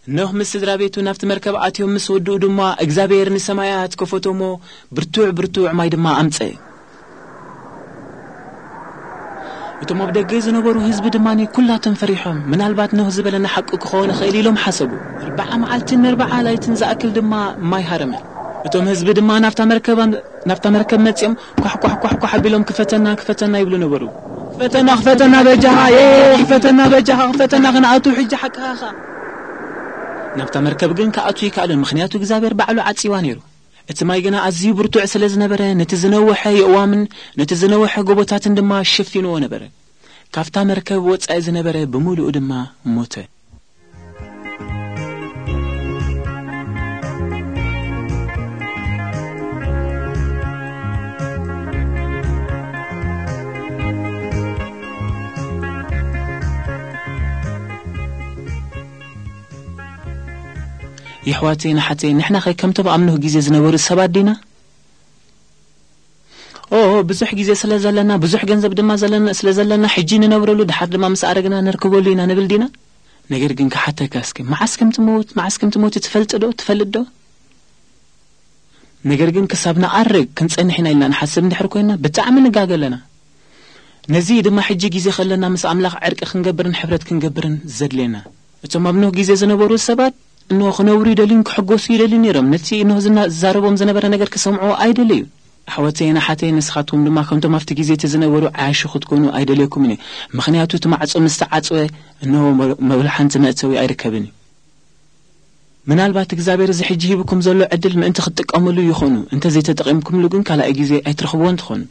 ኖህ ምስ ስድራ ቤቱ ናብቲ መርከብ ኣትዮም ምስ ወድኡ ድማ እግዚኣብሔር ንሰማያት ከፈቶ እሞ ብርቱዕ ብርቱዕ ማይ ድማ ኣምጸ። እቶም ኣብ ደገ ዝነበሩ ህዝቢ ድማ ኩላቶም ፈሪሖም፣ ምናልባት ኖህ ዝበለና ሓቂ ክኸውን ይኽእል ኢሎም ሓሰቡ። ኣርብዓ መዓልትን ኣርብዓ ላይትን ዝኣክል ድማ ማይ ሃረመ። እቶም ህዝቢ ድማ ናብታ መርከብ ናብታ መርከብ መጺኦም ኳሕ ኳሕ ኳሕ ኳሕ ኣቢሎም ክፈተና ክፈተና ይብሉ ነበሩ። ክፈተና ክፈተና በጃኻ የ ክፈተና በጃኻ ክፈተና ክንኣቱ ሕጂ ሓቅኻ። ናብታ መርከብ ግን ክኣቱ ይከኣሉን፣ ምኽንያቱ እግዚኣብሔር ባዕሉ ዓጺዋ ነይሩ። እቲ ማይ ግና ኣዝዩ ብርቱዕ ስለ ዝነበረ ነቲ ዝነውሐ የእዋምን ነቲ ዝነውሐ ጎቦታትን ድማ ሸፊንዎ ነበረ። ካብታ መርከብ ወጻኢ ዝነበረ ብምሉኡ ድማ ሞተ። የሕዋተይ ንሓተይ ንሕናኸ ከምቶም ኣብ ኖህ ግዜ ዝነበሩ ሰባት ዲና? ኦ ብዙሕ ግዜ ስለ ዘለና ብዙሕ ገንዘብ ድማ ዘለና ስለ ዘለና ሕጂ ንነብረሉ ድሓር ድማ ምስ ኣረግና ነርክበሉ ኢና ንብል ዲና? ነገር ግን ክሓተካ እስኪ መዓስ ከም ትመውት መዓስ ከም ትመውት ትፈልጥ ዶ ትፈልጥ ዶ? ነገር ግን ክሳብ ንኣርግ ክንጸንሕ ኢና ኢልና ንሓስብ እንድሕር ኮይና ብጣዕሚ ንጋገ ኣለና። ነዚ ድማ ሕጂ ግዜ ከለና ምስ ኣምላኽ ዕርቂ ክንገብርን ሕብረት ክንገብርን ዘድልየና። እቶም ኣብ ኖህ ግዜ ዝነበሩ ሰባት እንሆ ክነብሩ ይደልዩን ክሕጎሱ ይደልዩ ነይሮም። ነቲ እንሆ ዝና- ዝዛረቦም ዝነበረ ነገር ክሰምዑ ኣይደለዩ። ኣሕዋተይን ኣሓተይን ንስኻትኩም ድማ ከምቶም ኣብቲ ግዜ እቲ ዝነበሩ ዓያሹ ክትኮኑ ኣይደልየኩምን እየ። ምኽንያቱ እቲ ማዕጾ ምስ ተዓጽወ እንሆ መ- መብልሓንቲ መእተዊ ኣይርከብን እዩ። ምናልባት እግዚኣብሔር እዚ ሕጂ ሂብኩም ዘሎ ዕድል ምእንቲ ክትጥቀምሉ ይኾኑ። እንተዘይተጠቒምኩምሉ ግን ካልኣይ ግዜ ኣይትረኽብዎን ትኾኑ።